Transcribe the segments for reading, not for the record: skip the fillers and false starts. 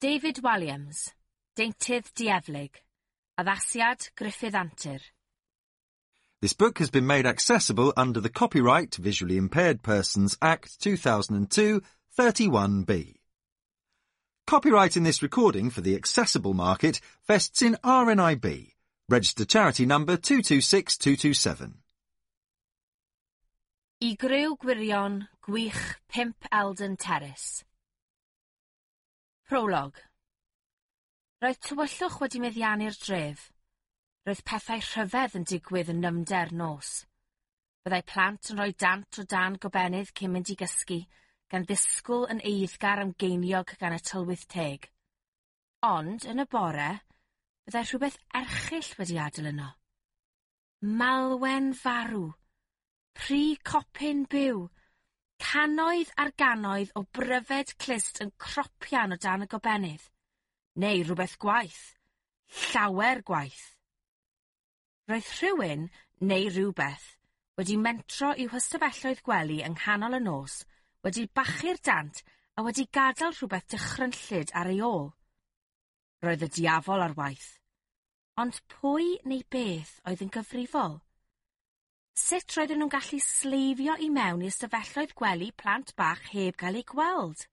David Walliams, Deintydd Dieflig, Addasiad Gruffudd Antur. This book has been made accessible under the Copyright Visually Impaired Persons Act 2002 31B. Copyright in this recording for the accessible market vests in RNIB, registered charity number 226227. I griw gwirion, gwych 5 Eldon Terrace. Prolog. Roedd tywyllwch wedi meddiannu'r dref. Roedd pethau rhyfedd yn digwydd yn nyfnder nos. Byddai plant yn rhoi dant o dan gobennydd cyn mynd i gysgu, gan ddisgwyl yn eiddgar am geiniog gan y tylwyth teg. Ond, yn y bore, byddai rhywbeth erchyll wedi adael yno. Malwen farw. Pry copyn byw. Cannoedd ar gannoedd o bryfed clust yn cropian o dan y gobennydd. Neu rhywbeth gwaeth. Llawer gwaeth. Roedd rhywun, neu rhywbeth, wedi mentro i'w hystafelloedd gwely yng nghanol y nos, wedi bachu'r dant a wedi gadael rhywbeth dychrynllyd ar ei ôl. Roedd y diafol ar waith. Ond pwy neu beth oedd yn gyfrifol? Sut roedden nhw'n gallu sleifio i mewn i ystafelloedd gwely plant bach heb gael eu gweld?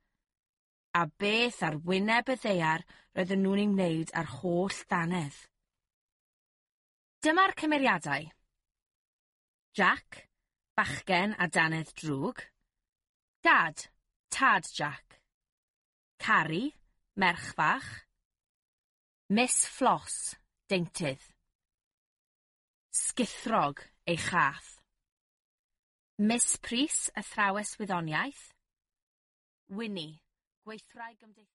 A beth ar wyneb y ddaear roedden nhw'n ei wneud â'r holl ddannedd? Dyma'r cymeriadau. Jack, bachgen a dannedd drwg. Dad, tad Jack. Carrie, merch fach. Miss Floss, deintydd. Sgithrog, ei chath. Miss Prys, athrawes wyddoniaeth. Winnie, gweithwraig gymdeithasol.